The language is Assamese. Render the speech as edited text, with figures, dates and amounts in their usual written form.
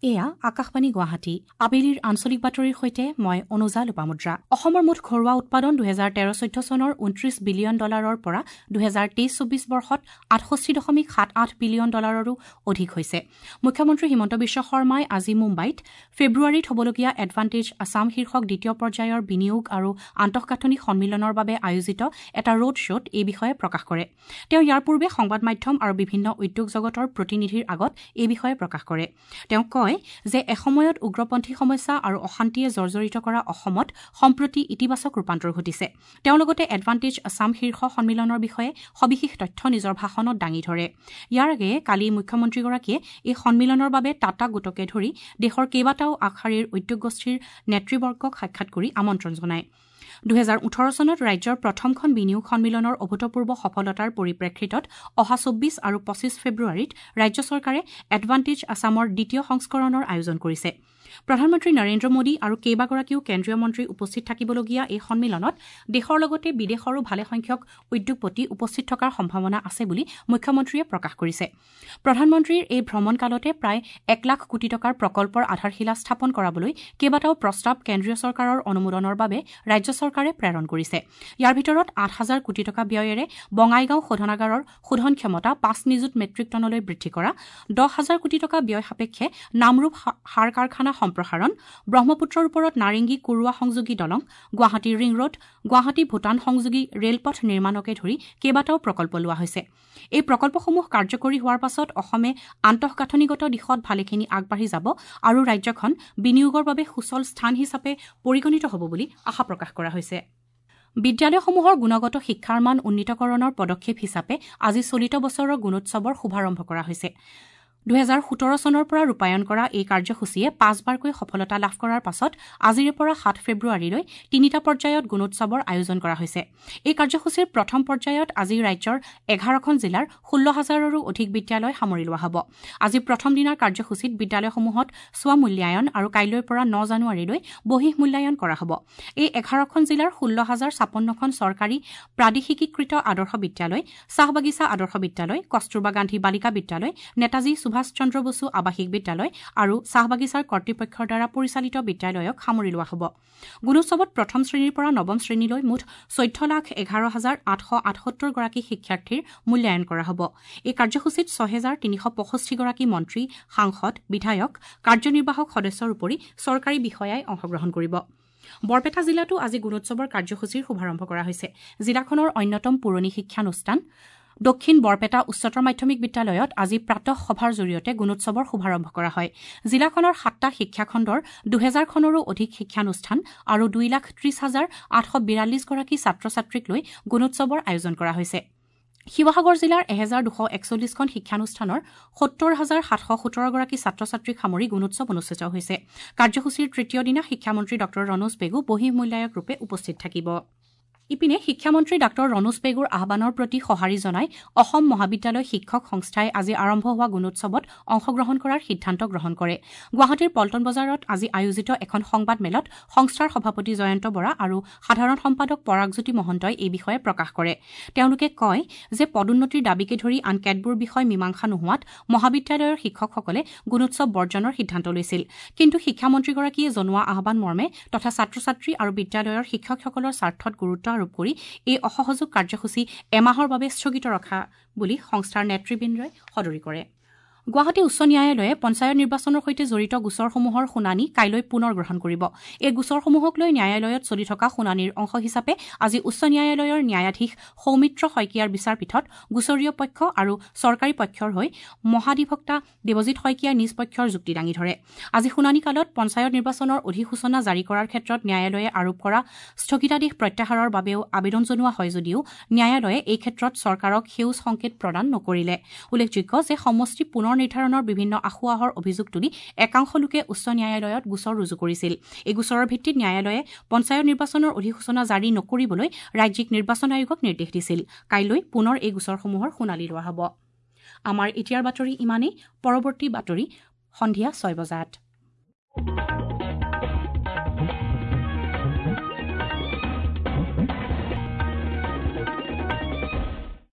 এয়া আকাশবাণী গুৱাহাটী। আবেলিৰ আঞ্চলিক বাতৰিৰ সৈতে মই অনুজা লোপামুদ্ৰা। অসমৰ মুঠ ঘৰুৱা উৎপাদন 2013-14 চনৰ 29 বিলিয়ন ডলাৰৰ পৰা 2023-24 বৰ্ষত 68.78 বিলিয়ন ডলাৰৰো অধিক হৈছে। মুখ্যমন্ত্ৰী হিমন্ত বিশ্ব শৰ্মাই আজি মুম্বাইত ফেব্ৰুৱাৰীত হ'বলগীয়া এডভান্টেজ আছাম শীৰ্ষক দ্বিতীয় পৰ্যায়ৰ বিনিয়োগ আৰু আন্তঃগাঁথনি সন্মিলনৰ বাবে আয়োজিত এটা ৰোড শ্ব'ত এই বিষয়ে প্ৰকাশ কৰে। তেওঁ ইয়াৰ পূৰ্বে সংবাদ মাধ্যম আৰু বিভিন্ন উদ্যোগ জগতৰ প্ৰতিনিধিৰ আগত এই বিষয়ে প্ৰকাশ কৰে। তেওঁ কয় যে এসময়ত উগ্ৰপন্থী সমস্যা আৰু অশান্তিয়ে জৰ্জৰিত কৰা অসমত সম্প্ৰতি ইতিবাচক ৰূপান্তৰ ঘটিছে। তেওঁ লগতে এডভান্টেজ আছাম শীৰ্ষ সন্মিলনৰ বিষয়ে সবিশেষ তথ্য নিজৰ ভাষণত দাঙি ধৰে। ইয়াৰ আগেয়ে কালি মুখ্যমন্ত্ৰীগৰাকীয়ে এই সন্মিলনৰ বাবে টাটা গোটকে ধৰি দেশৰ কেইবাটাও আগশাৰীৰ উদ্যোগ গোষ্ঠীৰ নেতৃবৰ্গক সাক্ষাৎ কৰি আমন্ত্ৰণ জনায়। 2018 চনত ৰাজ্যৰ প্ৰথমখন বিনিয়োগ সন্মিলনৰ অভূতপূৰ্ব সফলতাৰ পৰিপ্ৰেক্ষিতত অহা 24 আৰু 25 ফেব্ৰুৱাৰীত ৰাজ্য চৰকাৰে এডভান্টেজ আছামৰ দ্বিতীয় সংস্কৰণৰ আয়োজন কৰিছে। প্ৰধানমন্ত্ৰী নৰেন্দ্ৰ মোদী আৰু কেইবাগৰাকীও কেন্দ্ৰীয় মন্ত্ৰী উপস্থিত থাকিবলগীয়া এই সন্মিলনত দেশৰ লগতে বিদেশৰো ভালেসংখ্যক উদ্যোগপতি উপস্থিত থকাৰ সম্ভাৱনা আছে বুলি মুখ্যমন্ত্ৰীয়ে প্ৰকাশ কৰিছে। প্ৰধানমন্ত্ৰীৰ এই ভ্ৰমণকালতে প্ৰায় 1 লাখ কোটি টকাৰ প্ৰকল্পৰ আধাৰশিলা স্থাপন কৰাবলৈ কেইবাটাও প্ৰস্তাৱ কেন্দ্ৰীয় চৰকাৰৰ অনুমোদনৰ বাবে ৰাজ্য চৰকাৰে প্ৰেৰণ কৰিছে। ইয়াৰ ভিতৰত 8 হাজাৰ কোটি টকা ব্যয়েৰে বঙাইগাঁও শোধনাগাৰৰ শোধন ক্ষমতা 5 নিযুত মেট্ৰিক টনলৈ বৃদ্ধি কৰা, 10 হাজাৰ কোটি টকা ব্যয় সাপেক্ষে নামৰূপ সাৰ কাৰখানা সম্প্ৰসাৰণ, ব্ৰহ্মপুত্ৰৰ ওপৰত নাৰেংগী কুৰুৱা সংযোগী দলং, গুৱাহাটী ৰিং ৰোড, গুৱাহাটী ভূটান সংযোগী ৰেলপথ নিৰ্মাণকে ধৰি কেইবাটাও প্ৰকল্প লোৱা হৈছে। এই প্ৰকল্পসমূহ কাৰ্যকৰী হোৱাৰ পাছত অসমে আন্তঃগাঁথনিগত দিশত ভালেখিনি আগবাঢ়ি যাব আৰু ৰাজ্যখন বিনিয়োগৰ বাবে সুচল স্থান হিচাপে পৰিগণিত হ'ব বুলি আশা প্ৰকাশ কৰা হৈছে। বিদ্যালয়সমূহৰ গুণগত শিক্ষাৰ মান উন্নীতকৰণৰ পদক্ষেপ হিচাপে আজি চলিত বছৰৰ গুণোৎসৱৰ শুভাৰম্ভ কৰা হৈছে। 2017 চনৰ পৰা ৰূপায়ণ কৰা এই কাৰ্যসূচীয়ে পাঁচবাৰকৈ সফলতা লাভ কৰাৰ পাছত আজিৰে পৰা 7 ফেব্ৰুৱাৰীলৈ তিনিটা পৰ্যায়ত গুণোৎসৱৰ আয়োজন কৰা হৈছে। এই কাৰ্যসূচীৰ প্ৰথম পৰ্যায়ত আজি ৰাজ্যৰ 11খন জিলাৰ 16 হাজাৰৰো অধিক বিদ্যালয় সামৰি লোৱা হ'ব। আজি প্ৰথম দিনাৰ কাৰ্যসূচীত বিদ্যালয়সমূহত স্ব মূল্যায়ন আৰু কাইলৈৰ পৰা 9 জানুৱাৰীলৈ বহিঃ মূল্যায়ন কৰা হ'ব। এই 11খন জিলাৰ 16 হাজাৰ 56খন চৰকাৰী প্ৰাদেশিকীকৃত আদৰ্শ বিদ্যালয়, চাহ বাগিচা আদৰ্শ বিদ্যালয়, কস্তুৰবা গান্ধী বালিকা বিদ্যালয়, নেতাজী সুভাষ চন্দ্ৰ বসু আৱাসিক বিদ্যালয় আৰু চাহ বাগিচাৰ কৰ্তৃপক্ষৰ দ্বাৰা পৰিচালিত বিদ্যালয়ক সামৰি লোৱা হ'ব। গুণোৎসৱত প্ৰথম শ্ৰেণীৰ পৰা নৱম শ্ৰেণীলৈ মুঠ 14,11,878 গৰাকী শিক্ষাৰ্থীৰ মূল্যায়ন কৰা হ'ব। এই কাৰ্যসূচীত 6,365 গৰাকী মন্ত্ৰী, সাংসদ, বিধায়ক, কাৰ্যনিৰ্বাহক সদস্যৰ উপৰি চৰকাৰী বিষয়াই অংশগ্ৰহণ কৰিব। বৰপেটা জিলাতো আজি গুণোৎসৱৰ কাৰ্যসূচীৰ শুভাৰম্ভ কৰা হৈছে। জিলাখনৰ অন্যতম পুৰণি শিক্ষানুষ্ঠান দক্ষিণ বৰপেটা উচ্চতৰ মাধ্যমিক বিদ্যালয়ত আজি প্ৰাতঃ সভাৰ জৰিয়তে গুণোৎসৱৰ শুভাৰম্ভ কৰা হয়। জিলাখনৰ 7টা শিক্ষাখণ্ডৰ 2000খনৰো অধিক শিক্ষানুষ্ঠান আৰু 2,30,842 গৰাকী ছাত্ৰ ছাত্ৰীক লৈ গুণোৎসৱৰ আয়োজন কৰা হৈছে। শিৱসাগৰ জিলাৰ 1241খন শিক্ষানুষ্ঠানৰ 70,717 গৰাকী ছাত্ৰ ছাত্ৰীক সামৰি গুণোৎসৱ অনুষ্ঠিত হৈছে। কাৰ্যসূচীৰ তৃতীয় দিনা শিক্ষামন্ত্ৰী ডঃ ৰণোজ পেগু বহিঃ মূল্যায়ক ৰূপে উপস্থিত থাকিব। ইপিনে শিক্ষামন্ত্ৰী ডাঃ ৰণোজ পেগুৰ আহ্বানৰ প্ৰতি সঁহাৰি জনাই অসম মহাবিদ্যালয় শিক্ষক সংস্থাই আজি আৰম্ভ হোৱা গুণোৎসৱত অংশগ্ৰহণ কৰাৰ সিদ্ধান্ত গ্ৰহণ কৰে। গুৱাহাটীৰ পল্টন বজাৰত আজি আয়োজিত এখন সংবাদমেলত সংস্থাৰ সভাপতি জয়ন্ত বৰা আৰু সাধাৰণ সম্পাদক পৰাগজ্যোতি মহন্তই এই বিষয়ে প্ৰকাশ কৰে। তেওঁলোকে কয় যে পদোন্নতিৰ দাবীকে ধৰি আন কেতবোৰ বিষয় মীমাংসা নোহোৱাত মহাবিদ্যালয়ৰ শিক্ষকসকলে গুণোৎসৱ বৰ্জনৰ সিদ্ধান্ত লৈছিল। কিন্তু শিক্ষামন্ত্ৰীগৰাকীয়ে জনোৱা আহ্বান মৰ্মে তথা ছাত্ৰ ছাত্ৰী আৰু বিদ্যালয়ৰ শিক্ষকসকলৰ স্বাৰ্থত গুৰুত্ব আৰোপ কৰি এই অসহযোগ কাৰ্যসূচী এমাহৰ বাবে স্থগিত ৰখা বুলি সংস্থাৰ নেতৃবৃন্দই সদৰি কৰে। গুৱাহাটী উচ্চ ন্যায়ালয়ে পঞ্চায়ত নিৰ্বাচনৰ সৈতে জড়িত গোচৰসমূহৰ শুনানি কাইলৈ পুনৰ গ্ৰহণ কৰিব। এই গোচৰসমূহক লৈ ন্যায়ালয়ত চলি থকা শুনানিৰ অংশ হিচাপে আজি উচ্চ ন্যায়ালয়ৰ ন্যায়াধীশ সৌমিত্ৰ শইকীয়াৰ বিচাৰপীঠত গোচৰীয় পক্ষ আৰু চৰকাৰী পক্ষৰ হৈ মহাধিবক্তা দেৱজিৎ শইকীয়াই নিজ পক্ষৰ যুক্তি দাঙি ধৰে। আজি শুনানিকালত পঞ্চায়ত নিৰ্বাচনৰ অধিসূচনা জাৰি কৰাৰ ক্ষেত্ৰত ন্যায়ালয়ে আৰোপ কৰা স্থগিতাদেশ প্ৰত্যাহাৰৰ বাবেও আবেদন জনোৱা হয় যদিও ন্যায়ালয়ে এই ক্ষেত্ৰত চৰকাৰক সেউজ সংকেত প্ৰদান নকৰিলে। উল্লেখযোগ্য যে সমষ্টি পুনৰ নিৰ্ধাৰণৰ বিভিন্ন আসোঁৱাহৰ অভিযোগ তুলি একাংশ লোকে উচ্চ ন্যায়ালয়ত গোচৰ ৰুজু কৰিছিল। এই গোচৰৰ ভিত্তিত ন্যায়ালয়ে পঞ্চায়ত নিৰ্বাচনৰ অধিসূচনা জাৰি নকৰিবলৈ ৰাজ্যিক নিৰ্বাচন আয়োগক নিৰ্দেশ দিছিল। কাইলৈ পুনৰ এই গোচৰসমূহৰ শুনানি লোৱা হ'ব। আমাৰ এতিয়াৰ বাতৰি ইমানেই। পৰৱৰ্তী বাতৰি সন্ধিয়া 6 বজাত।